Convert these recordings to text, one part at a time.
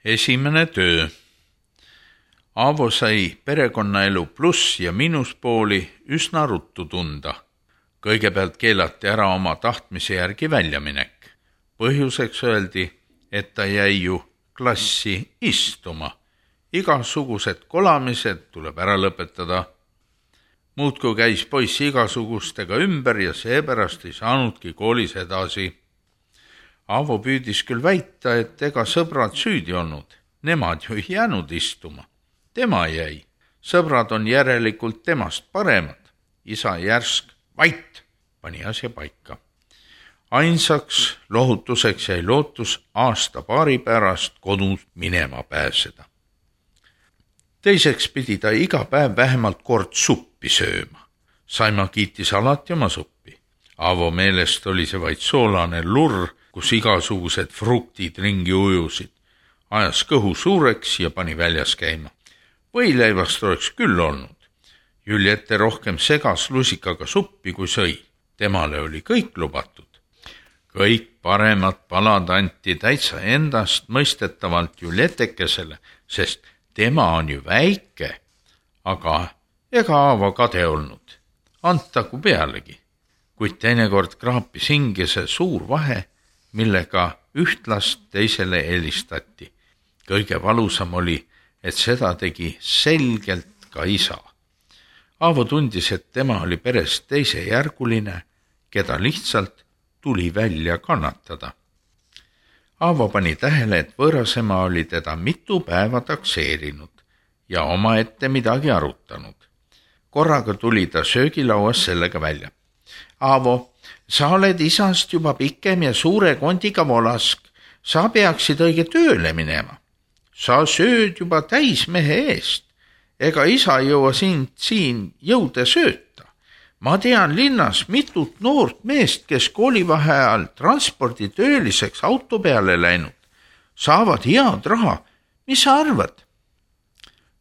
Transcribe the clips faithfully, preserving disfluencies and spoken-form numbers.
Esimene töö. Aavo sai perekonnaelu pluss- ja miinuspooli üsna ruttu tunda. Kõigepealt keelati ära oma tahtmise järgi väljaminek. Põhjuseks öeldi, et ta jäi ju klassi istuma. Igasugused kolamised tuleb ära lõpetada. Muudkui käis poiss igasugustega ümber ja seepärast ei saanudki koolis edasi. Aavo püüdis küll väita, et ega sõbrad süüdi olnud. Nemad ju ei jäänud istuma. Tema jäi. Sõbrad on järelikult temast paremad. Isa järsk vait pani asja paika. Ainsaks lohutuseks jäi lootus aasta paari pärast kodus minema pääseda. Teiseks pidi ta iga päev vähemalt kord suppi sööma. Saima kiitis alati oma suppi. Aavo meelest oli see vaid soolane lurr, kus igasugused fruktid ringi ujusid. Ajas kõhu suureks ja pani väljas käima. Võileivast oleks küll olnud. Juliette rohkem segas lusikaga suppi kui sõi. Temale oli kõik lubatud. Kõik paremad palad anti täitsa endast mõistetavalt Julietekesele, sest tema on ju väike, aga ega Aavo kade olnud. Antagu pealegi, kuid teinekord kraapis hinge see suur vahe, millega üht last teisele helistati. Kõige valusam oli, et seda tegi selgelt ka isa. Aavo tundis, et tema oli perest teisejärguline, keda lihtsalt tuli välja kannatada. Aavo pani tähele, et võõrasema oli teda mitu päeva takseerinud ja omaette midagi arutanud. Korraga tuli ta söögilauas sellega välja. Aavo, sa oled isast juba pikem ja suure kondiga volask. Sa peaksid õige tööle minema. Sa sööd juba täismehe eest. Ega isa ei jõua sind siin jõude sööta. Ma tean linnas mitut noort meest, kes koolivaheajal transporditööliseks auto peale läinud. Saavad head raha. Mis sa arvad?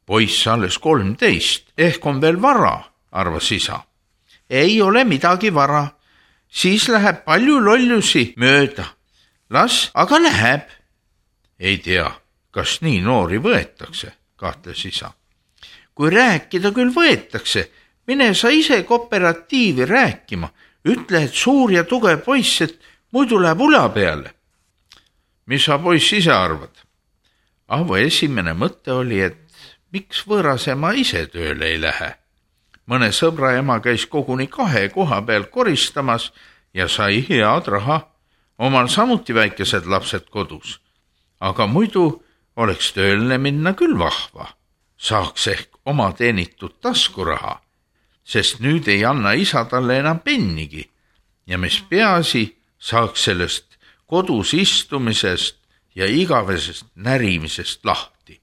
Poiss alles kolmteist, ehk on veel vara, arvas isa. Ei ole midagi vara. Siis läheb palju lollusi mööda. Las, aga läheb. Ei tea, kas nii noori võetakse, kahtles isa. Kui rääkida küll võetakse, mine sa ise kooperatiivi rääkima. Ütle, et suur ja tugev poiss, et muidu läheb ula peale. Mis sa poiss ise arvad? Aavo esimene mõte oli, et miks võõrasema ise tööle ei lähe. Mõne sõbra ema käis koguni kahe koha peal koristamas ja sai head raha. Omal samuti väikesed lapsed kodus. Aga muidu oleks tööle minna küll vahva. Saaks ehk oma teenitud taskuraha, sest nüüd ei anna isa talle enam pennigi ja mis peaasi, saaks sellest kodus istumisest ja igavesest närimisest lahti.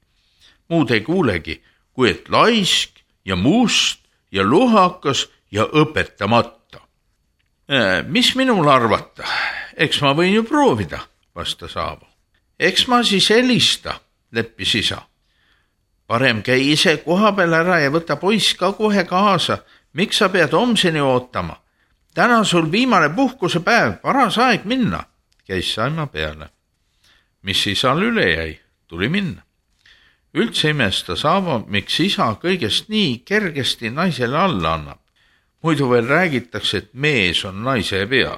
Muud ei kuulegi, kui et laisk ja must ja luhakas ja õpetamata. Mis minul arvata? Eks ma võin ju proovida, vastas Aavo. Eks ma siis helista, leppis isa. Parem käi ise koha peal ära ja võta poiss ka kohe kaasa. Miks sa pead homseni ootama? Täna sul viimane puhkuse päev, paras aeg minna, käis Saima peale. Mis isal üle jäi, tuli minna. Üldse imestas Aavo, miks isa kõigest nii kergesti naisele alla annab. Muidu veel räägitakse, et mees on naise pea.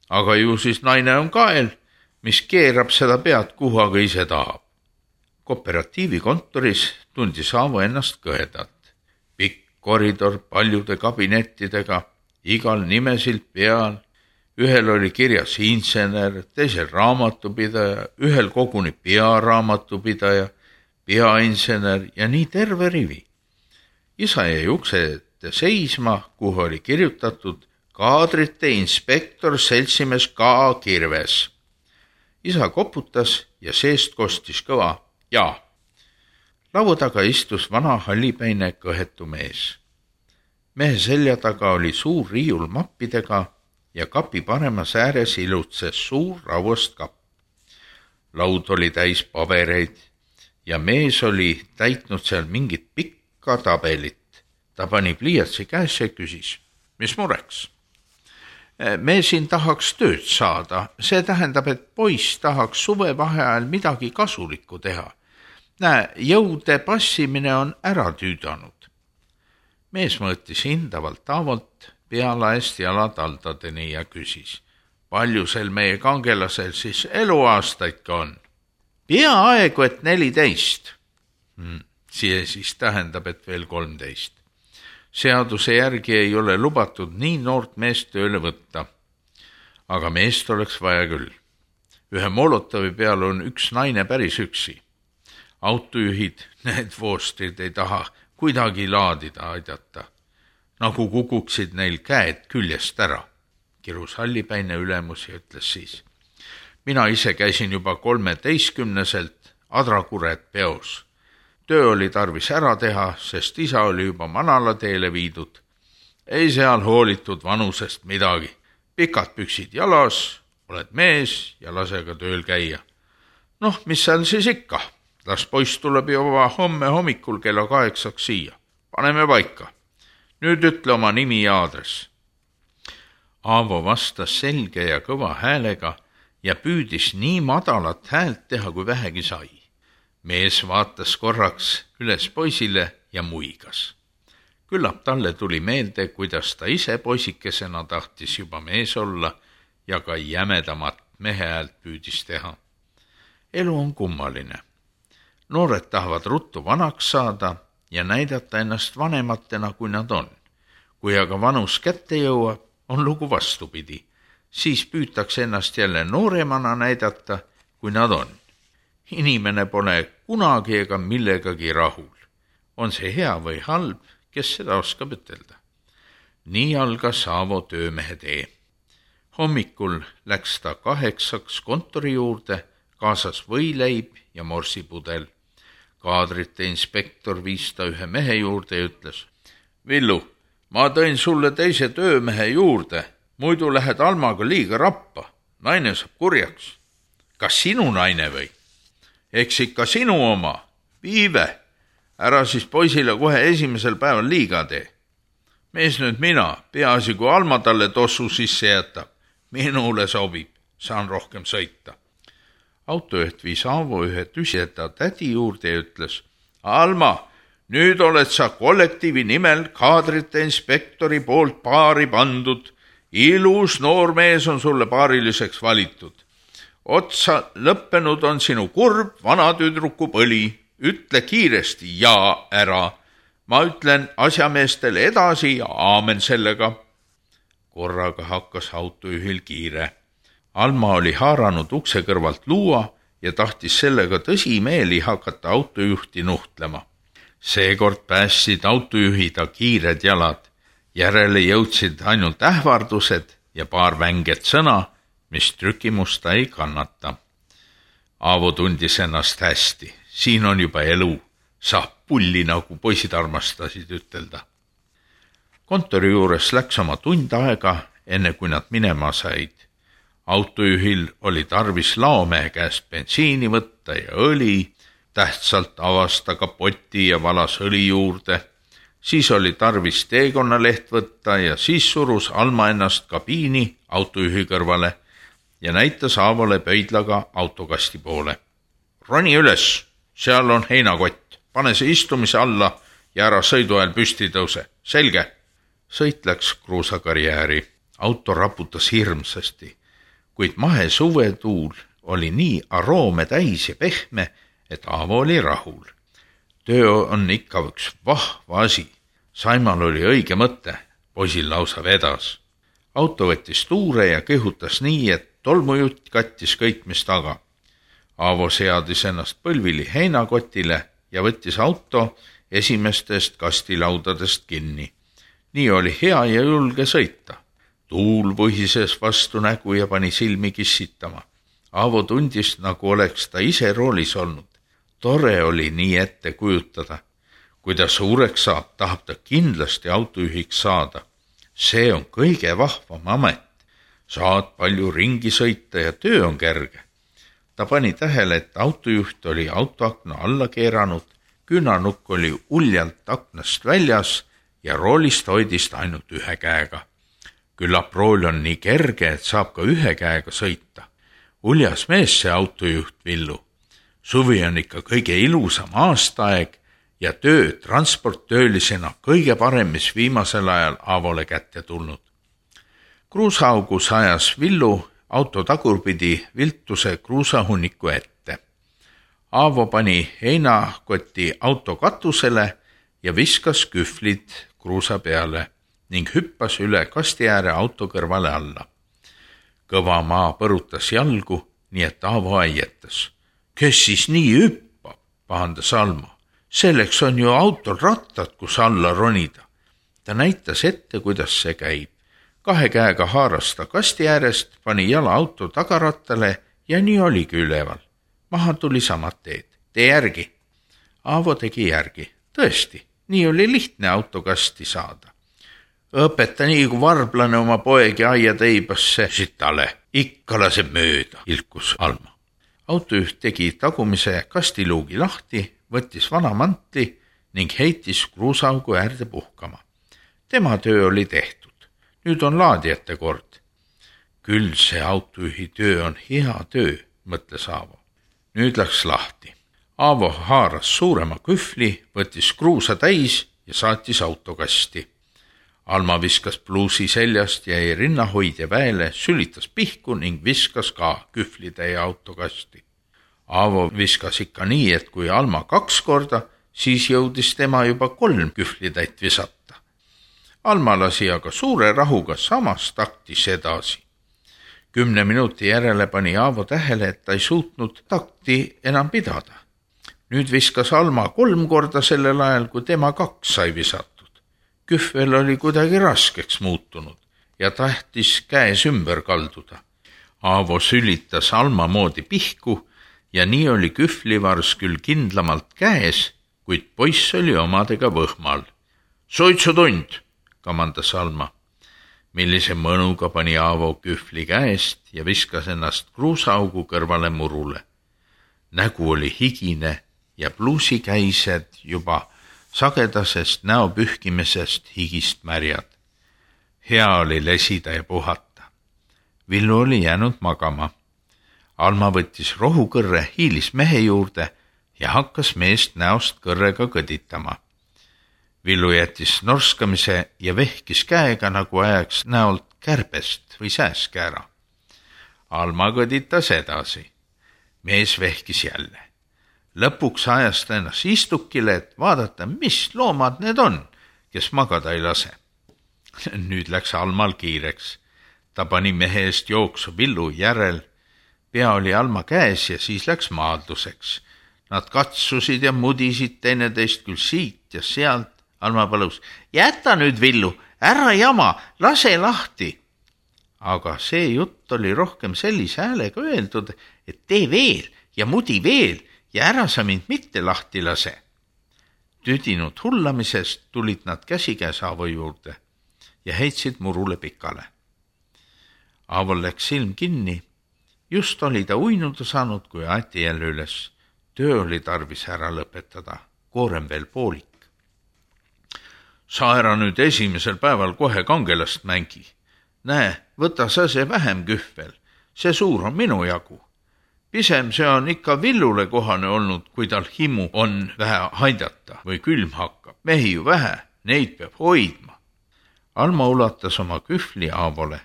Aga ju siis naine on kael, mis keerab seda pead, kuhu aga ise tahab. Kooperatiivi kontoris tundis Aavo ennast kõhedalt. Pikk koridor paljude kabinettidega, igal nimesilt peal. Ühel oli kirjas insener, teisel raamatupidaja, ühel koguni pearaamatupidaja, peainsener ja nii terve rivi. Isa jäi ukse ette seisma, kuhu oli kirjutatud kaadrite inspektor seltsimees K. Kirves. Isa koputas ja seest kostis kõva jaa. Laua taga istus vana hallipäine kõhetu mees. Mehe selja taga oli suur riiul mappidega ja kapi paremas ääres ilutses suur rauast kapp. Laud oli täis pabereid ja mees oli täitnud seal mingit pikka tabelit. Ta pani pliiatsi käes ja küsis, mis mureks? Me siin tahaks tööd saada, see tähendab, et poiss tahaks suvevaheajal midagi kasulikku teha. Näe, jõude passimine on ära tüüdanud. Mees mõõtis hindavalt Aavolt pealaest jalataldadeni ja küsis, palju sel meie kangelasel siis eluaastaid ka on? Peaaegu, et neliteist. Hmm, see siis tähendab, et veel kolmteist. Seaduse järgi ei ole lubatud nii noort meest tööle võtta. Aga meest oleks vaja küll. Ühe Molotovi peal on üks naine päris üksi. Autojuhid, need voostrid ei taha kuidagi laadida aidata. Nagu kukuksid neil käed küljest ära. Kirus hallipäine ülemus ja ütles siis. Mina ise käisin juba kolmeteistkümneselt Adrakuret peos. Töö oli tarvis ära teha, sest isa oli juba manalateele viidud. Ei seal hoolitud vanusest midagi. Pikad püksid jalas, oled mees ja lase ka tööl käia. Noh, mis seal siis ikka? Las poiss tuleb juba homme hommikul kella kaheksaks siia. Paneme paika. Nüüd ütle oma nimi ja aadress. Aavo vastas selge ja kõva häälega ja püüdis nii madalat häält teha, kui vähegi sai. Mees vaatas korraks üles poisile ja muigas. Küllap talle tuli meelde, kuidas ta ise poisikesena tahtis juba mees olla ja ka jämedamat mehe häält püüdis teha. Elu on kummaline. Noored tahavad ruttu vanaks saada ja näidata ennast vanematena, kui nad on. Kui aga vanus kätte jõuab, on lugu vastupidi. Siis püütakse ennast jälle nooremana näidata, kui nad on. Inimene pole kunagi ega millegagi rahul. On see hea või halb, kes seda oskab ütelda. Nii algas Aavo töömehe tee. Hommikul läks ta kaheksaks kontori juurde, kaasas võileib ja morsipudel. Kaadrite inspektor viis ta ühe mehe juurde ja ütles, Villu, ma tõin sulle teise töömehe juurde, muidu lähed Almaga liiga rappa, naine saab kurjaks. Kas sinu naine või? Eks ikka sinu oma, Viive, ära siis poisile kohe esimesel päeval liiga tee. Mees nüüd mina, peaasi kui Alma talle tossu sisse jätab, minule sobib, saan rohkem sõita. Autojuht viis Aavo ühe tüsjeta tädi juurde ja ütles, Alma, nüüd oled sa kollektiivi nimel kaadrite inspektori poolt paari pandud. Ilus noor mees on sulle paariliseks valitud. Otsa lõppenud on sinu kurb vana tüdruku põli. Ütle kiiresti ja ära. Ma ütlen asjameestele edasi ja aamen sellega. Korraga hakkas autojuhil kiire. Alma oli haaranud ukse kõrvalt luua ja tahtis sellega tõsimeeli hakata autojuhti nuhtlema. Seekord päästsid autojuhida kiired jalad. Järele jõudsid ainult ähvardused ja paar vänget sõna, mis trükimusta ei kannata. Aavo tundis ennast hästi. Siin on juba elu. Saab pulli, nagu poisid armastasid ütelda. Kontori juures läks oma tund aega, enne kui nad minema said. Autojuhil oli tarvis laomehe käest bensiini võtta ja õli, tähtsalt avas ta kapoti ja valas õli juurde. Siis oli tarvis teekonnaleht võtta ja siis surus Alma ennast kabiini autojuhi kõrvale ja näitas Aavole pöidlaga autokasti poole. Roni üles, seal on heinakott, pane see istumise alla ja ära sõidu ajal püsti tõuse. Selge. Sõit läks kruusakarjääri. Auto raputas hirmsasti. Kuid mahe suvetuul oli nii aroome täis ja pehme, et Aavo oli rahul. Töö on ikka üks vahva asi. Saimal oli õige mõte, poisil lausa vedas. Auto võttis tuure ja kõhutas nii, et tolmujutt kattis kõik, mis taga. Aavo seadis ennast põlvili heinakotile ja võttis auto esimestest kastilaudadest kinni. Nii oli hea ja julge sõita. Tuul võhises vastu nägu ja pani silmi kissitama. Aavo tundis, nagu oleks ta ise roolis olnud. Tore oli nii ette kujutada. Kui ta suureks saab, tahab ta kindlasti autojuhiks saada. See on kõige vahvam amet. Saad palju ringi sõita ja töö on kerge. Ta pani tähele, et autojuht oli autoakna alla keeranud, küünanukk oli uljalt aknast väljas ja roolist hoidist ainult ühe käega. Küllap rool on nii kerge, et saab ka ühe käega sõita. Uljas mees see autojuht Villu. Suvi on ikka kõige ilusam aastaaeg ja töö transporttöölisena kõige parem, mis viimasel ajal Aavole kätte tulnud. Kruusaaugus ajas Villu auto tagurpidi viltuse kruusahunniku ette. Aavo pani heinakoti auto katusele ja viskas kühvlid kruusa peale ning hüppas üle kasti ääre auto kõrvale alla. Kõva maa põrutas jalgu, nii et Aavo aietas. Kes siis nii hüppab, pahandas Alma. Selleks on ju autol rattad, kus alla ronida. Ta näitas ette, kuidas see käib. Kahe käega haaras ta kasti äärest, pani jala auto tagarattale ja nii oligi üleval. Maha tuli samad teed. Tee järgi. Aavo tegi järgi. Tõesti, nii oli lihtne autokasti saada. Õpeta nii, kui varblane oma poegi aia teibasse sitale. Ikka laseb mööda, ilkus Alma. Autojuht tegi tagumise kastiluugi lahti, võttis vana mantli ning heitis kruusaugu äärde puhkama. Tema töö oli tehtud. Nüüd on laadijate kord. Küll see autojuhi töö on hea töö, mõtles Aavo. Nüüd läks lahti. Aavo haaras suurema kühvli, võttis kruusa täis ja saatis autokasti. Alma viskas pluusi seljast, jäi rinnahoidja väele, sülitas pihku ning viskas ka kühvlitäie autokasti. Aavo viskas ikka nii, et kui Alma kaks korda, siis jõudis tema juba kolm kühvlitäit visata. Alma lasi aga suure rahuga samas taktis edasi. Kümne minuti järele pani Aavo tähele, et ta ei suutnud takti enam pidada. Nüüd viskas Alma kolm korda sellel ajal, kui tema kaks sai visatud. Kühvel oli kuidagi raskeks muutunud ja tahtis käes ümber kalduda. Aavo sülitas Alma moodi pihku ja nii oli kühvlivars küll kindlamalt käes, kuid poiss oli omadega võhmal. Suitsutund, kamandas Alma. Millise mõnuga pani Aavo kühvli käest ja viskas ennast kruusaugu kõrvale murule. Nägu oli higine ja pluusikäised juba sagedasest näo pühkimisest higist märjad. Hea oli lesida ja puhata. Villu oli jäänud magama. Alma võttis rohukõrre, hiilis mehe juurde ja hakkas meest näost kõrrega kõditama. Villu jättis norskamise ja vehkis käega, nagu ajaks näolt kärbest või sääskäära. Alma kõditas edasi. Mees vehkis jälle. Lõpuks ajas ta ennast istukile, et vaadata, mis loomad need on, kes magada ei lase. Nüüd läks Almal kiireks. Ta pani mehe eest jooksu Villu järel. Pea oli Alma käes ja siis läks maadluseks. Nad katsusid ja mudisid teineteist küll siit ja sealt. Alma palus, jäta nüüd Villu, ära jama, lase lahti. Aga see jutt oli rohkem sellise häälega öeldud, et tee veel ja mudi veel ja ära sa mind mitte lahti lase. Tüdinud hullamisest tulid nad käsikäes Aavo juurde ja heitsid murule pikale. Aavol läks silm kinni. Just oli ta uinuda saanud, kui aeti jälle üles. Töö oli tarvis ära lõpetada, koorem veel poolik. Sa ära nüüd esimesel päeval kohe kangelast mängi. Näe, võta sa see vähem kühvel. See suur on minu jagu. Pisem see on ikka Villule kohane olnud, kui tal himu on vähe haidata või külm hakkab. Mehi ju vähe, neid peab hoidma. Alma ulatas oma kühvli Aavole.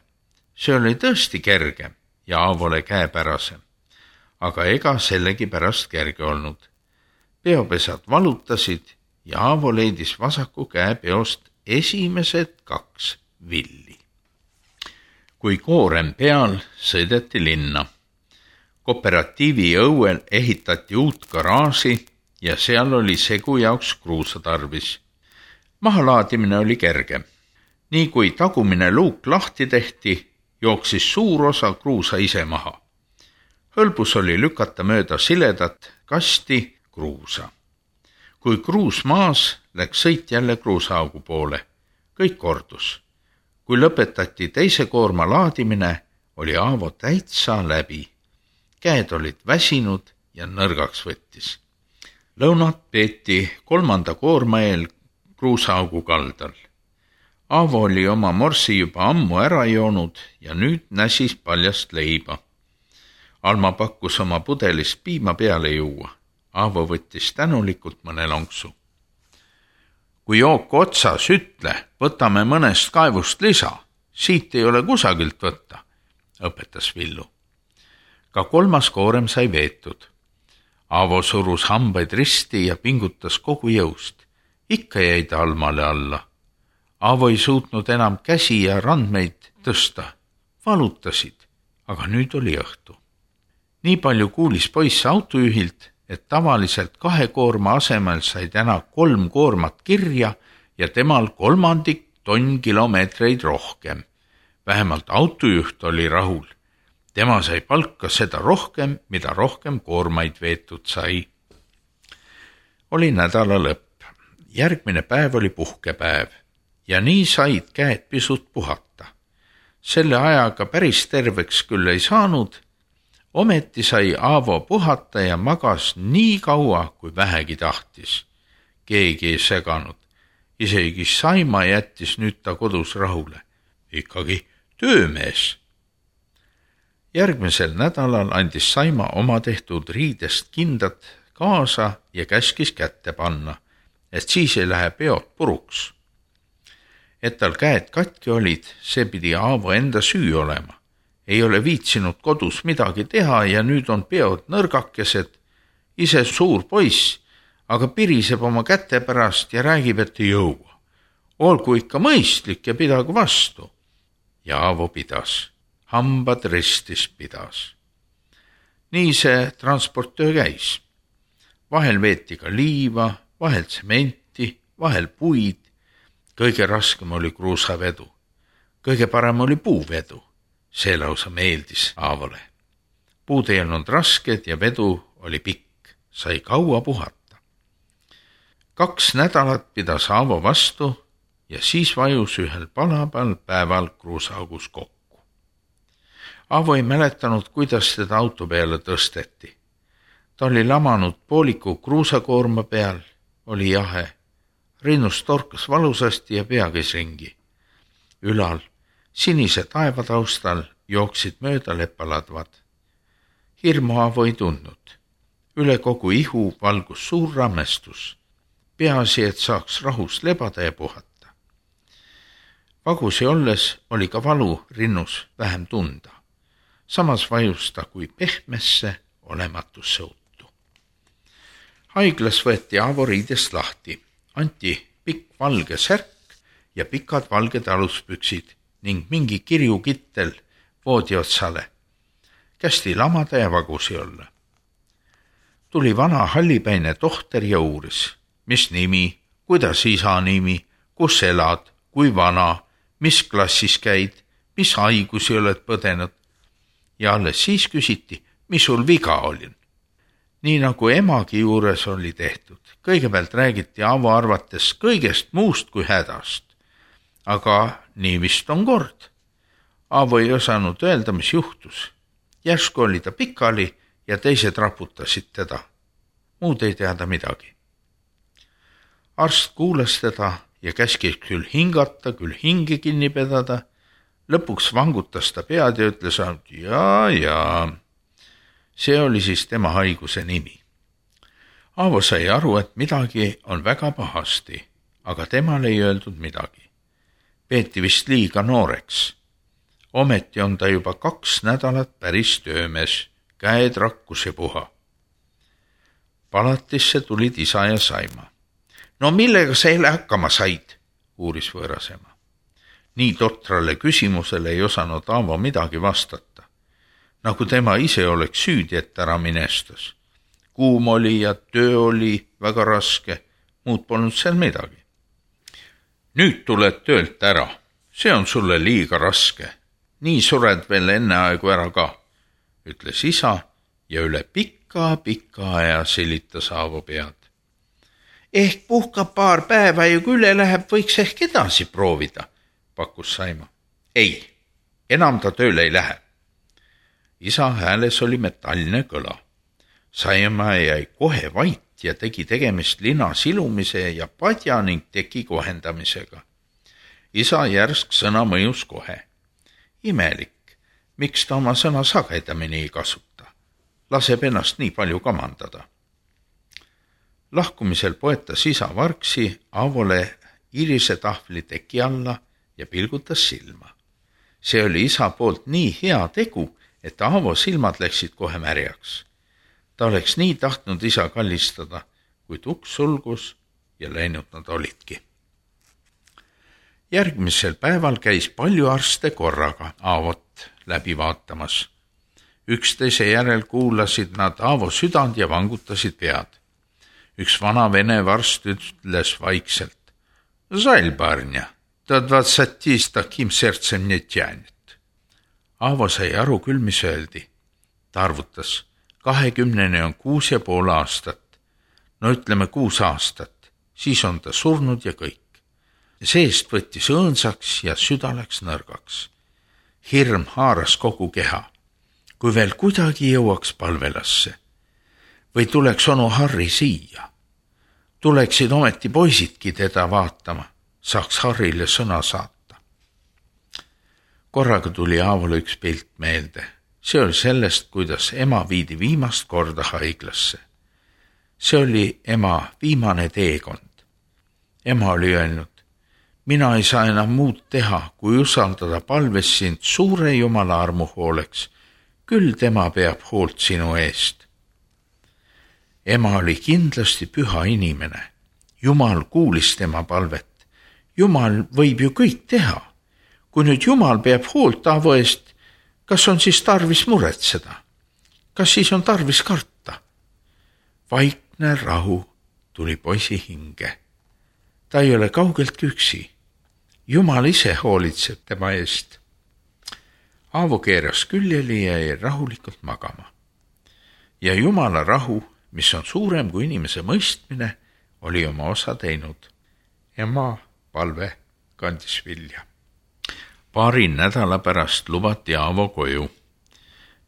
See oli tõesti kergem ja Aavole käepärasem. Aga ega sellegi pärast kerge olnud. Peopesad valutasid ja Aavo leidis vasaku käe peost esimesed kaks villi. Kui koorem peal, sõideti linna. Kooperatiivi õuel ehitati uut garaaži ja seal oli segu jaoks kruusa tarvis. Mahalaadimine oli kerge. Nii kui tagumine luuk lahti tehti, jooksis suur osa kruusa ise maha. Hõlbus oli lükata mööda siledat kasti kruusa. Kui kruus maas, läks sõit jälle kruusaaugu poole. Kõik kordus. Kui lõpetati teise koorma laadimine, oli Aavo täitsa läbi. Käed olid väsinud ja nõrgaks võttis. Lõunat peeti kolmanda koorma eel kruusaaugu kaldal. Aavo oli oma morsi juba ammu ära joonud ja nüüd näsis paljast leiba. Alma pakkus oma pudelist piima peale juua. Aavo võttis tänulikult mõne lonksu. Kui jook otsas, ütle, võtame mõnest kaevust lisa. Siit ei ole kusagilt võtta, õpetas Villu. Ka kolmas koorem sai veetud. Aavo surus hambaid risti ja pingutas kogu jõust. Ikka jäi ta Almale alla. Aavo ei suutnud enam käsi ja randmeid tõsta. Valutasid, aga nüüd oli õhtu. Nii palju kuulis poiss autojuhilt, et tavaliselt kahe koorma asemel sai täna kolm koormat kirja ja temal kolmandik tonn kilomeetreid rohkem. Vähemalt autojuht oli rahul. Tema sai palka seda rohkem, mida rohkem koormaid veetud sai. Oli nädala lõpp. Järgmine päev oli puhkepäev ja nii said käed pisut puhata. Selle ajaga päris terveks küll ei saanud, ometi sai Aavo puhata ja magas nii kaua, kui vähegi tahtis. Keegi ei seganud. Isegi Saima jättis nüüd ta kodus rahule. Ikkagi töömees. Järgmisel nädalal andis Saima oma tehtud riidest kindad kaasa ja käskis kätte panna, et siis ei lähe peod puruks. Et tal käed katki olid, see pidi Aavo enda süü olema. Ei ole viitsinud kodus midagi teha ja nüüd on peod nõrgakesed, ise suur poiss, aga piriseb oma käte pärast ja räägib, et ei jõua. Olgu ikka mõistlik ja pidagu vastu. Ja Aavo pidas. Hambad ristis pidas. Nii see transporttöö käis. Vahel veeti ka liiva, vahel tsementi, vahel puid. Kõige raskem oli kruusavedu. Kõige parem oli puuvedu. See lausa meeldis Aavole. Puud ei olnud rasked ja vedu oli pikk. Sai kaua puhata. Kaks nädalat pidas Aavo vastu ja siis vajus ühel palabal päeval kruusaagus kokku. Aavo ei mäletanud, kuidas teda auto peale tõsteti. Ta oli lamanud pooliku kruusakoorma peal, oli jahe. Rinnus torkas valusasti ja pea käis ringi. Ülal, sinise taevataustal jooksid mööda lepaladvad. Hirmu Aavo ei tundnud. Üle kogu ihu valgus suur rammestus. Peaasi, et saaks rahus lebada ja puhata. Vagusi olles oli ka valu rinnus vähem tunda. Samas vajus ta kui pehmesse olematusse uttu. Haiglas võeti Aavo riidest lahti. Anti pikk valge särk ja pikad valged aluspüksid ning mingi kirjukittel voodi otsale. Kästi lamada ja vagusi olla. Tuli vana hallipäine tohter ja uuris. Mis nimi, kuidas isa nimi, kus elad, kui vana, mis klassis käid, mis haigusi oled põdenud. Ja alles siis küsiti, mis sul viga oli. Nii nagu emagi juures oli tehtud. Kõigepealt räägiti Aavo arvates kõigest muust kui hädast. Aga nii vist on kord. Aavo ei osanud öelda, mis juhtus. Järsku oli ta pikali ja teised raputasid teda. Muud ei teada midagi. Arst kuulas teda ja käskis küll hingata, küll hinge kinni pedada. Lõpuks vangutas ta pead ja ütles, et jaa, jaa. See oli siis tema haiguse nimi. Aavo sai aru, et midagi on väga pahasti, aga temal ei öeldud midagi. Peeti vist liiga nooreks. Ometi on ta juba kaks nädalat päris töömees, käed rakkus ja puha. Palatisse tulid isa ja Saima. No millega sa eile hakkama said, uuris võõrasema. Nii totrale küsimusele ei osanud Aavo midagi vastata. Nagu tema ise oleks süüdi, et ära minestas. Kuum oli ja töö oli väga raske, muud polnud seal midagi. Nüüd tuled töölt ära, see on sulle liiga raske. Nii sured veel enne aegu ära ka, ütles isa ja üle pika, pika aja silitas Aavo pead. Ehk puhkab paar päeva ja kui üle läheb, võiks ehk edasi proovida, pakkus Saima. Ei, enam ta tööle ei lähe. Isa hääles oli metalline kõla. Saima jäi kohe vait ja tegi tegemist lina silumise ja padja ning teki kohendamisega. isa järsk sõna mõjus kohe. Imelik, miks ta oma sõna sagedamini ei kasuta? Laseb ennast nii palju kamandada. Lahkumisel poetas isa vargsi Aavole irise tahvli teki alla ja pilgutas silma. See oli isa poolt nii hea tegu, et Aavo silmad läksid kohe märjaks. Ta oleks nii tahtnud isa kallistada, kuid uks sulgus ja läinud nad olidki. Järgmisel päeval käis palju arste korraga Aavot läbi vaatamas. Üksteise järel kuulasid nad Aavo südant ja vangutasid pead. Üks vana vene varst ütles vaikselt: Žalь, barня, до двадцати с таким сердцем не тянет. Aavo sai aru küll, mis öeldi. Ta arvutas, kahekümneni on kuus ja pool aastat. No ütleme kuus aastat, siis on ta surnud ja kõik. Seest võttis õõnsaks ja süda läks nõrgaks. Hirm haaras kogu keha. Kui veel kuidagi jõuaks palvelasse. Või tuleks onu Harri siia. Tuleksid ometi poisidki teda vaatama, saaks Harrile sõna saata. Korraga tuli Aavole üks pilt meelde. See oli sellest, kuidas ema viidi viimast korda haiglasse. See oli ema viimane teekond. Ema oli öelnud: mina ei saa enam muud teha, kui usaldada palves sind suure Jumala armu hooleks. Küll tema peab hoolt sinu eest. Ema oli kindlasti püha inimene. Jumal kuulis tema palvet. Jumal võib ju kõik teha. Kui nüüd Jumal peab hoolt Aavo eest, kas on siis tarvis muretseda? Kas siis on tarvis karta? Vaikne rahu tuli poisi hinge. Ta ei ole kaugelt üksi. Jumal ise hoolitseb tema eest. Aavo keeras küljeli ja jäi rahulikult magama. Ja Jumala rahu, mis on suurem kui inimese mõistmine, oli oma osa teinud. Ema palve kandis vilja. Paari nädala pärast lubati Aavo koju.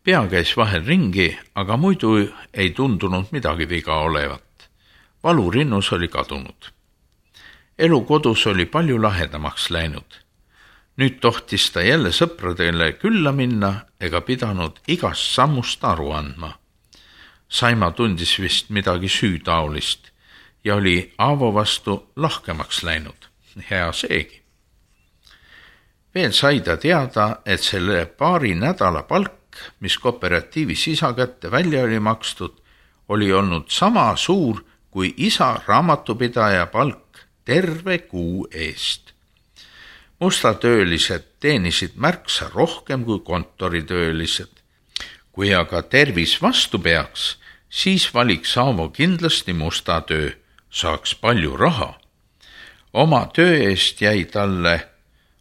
Pea käis vahel ringi, aga muidu ei tundunud midagi viga olevat. Valurinnus oli kadunud. Elu kodus oli palju lahedamaks läinud. Nüüd tohtis ta jälle sõpradele külla minna ega pidanud igast sammust aru andma. Saima tundis vist midagi süütaolist ja oli Aavo vastu lahkemaks läinud. Hea seegi. Veel sai ta teada, et selle paari nädala palk, mis kooperatiivis isa kätte välja oli makstud, oli olnud sama suur kui isa raamatupidaja palk terve kuu eest. Mustatöölised teenisid märksa rohkem kui kontoritöölised. Kui aga tervis vastu peaks, siis valiks Aavo kindlasti musta töö, saaks palju raha. Oma töö eest jäi talle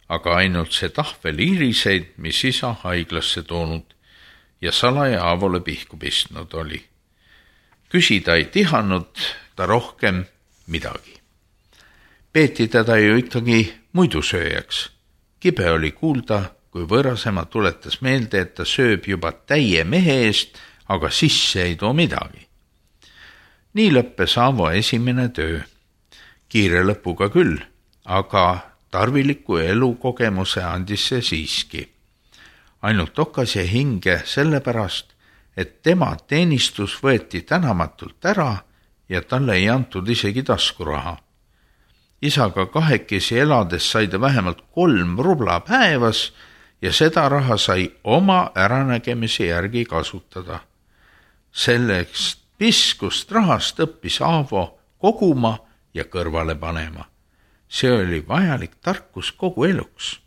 aga ainult see tahvel iriseid, mis isa haiglasse toonud ja salaja Aavole pihku pistnud oli. Küsida ei tihanud ta rohkem midagi. Peeti teda ju ikkagi muidusööjaks. Kibe oli kuulda, kui võõrasema tuletas meelde, et ta sööb juba täie mehe eest, aga sisse ei too midagi. Nii lõppes Aavo esimene töö. Kiire lõpuga küll, aga tarviliku elukogemuse andis see siiski. Ainult okas jäi hinge sellepärast, et tema teenistus võeti tänamatult ära ja talle ei antud isegi taskuraha. Isaga kahekesi elades sai ta vähemalt kolm rubla päevas ja seda raha sai oma äranägemise järgi kasutada. Selleks piskust rahast õppis Aavo koguma ja kõrvale panema. See oli vajalik tarkus kogu eluks.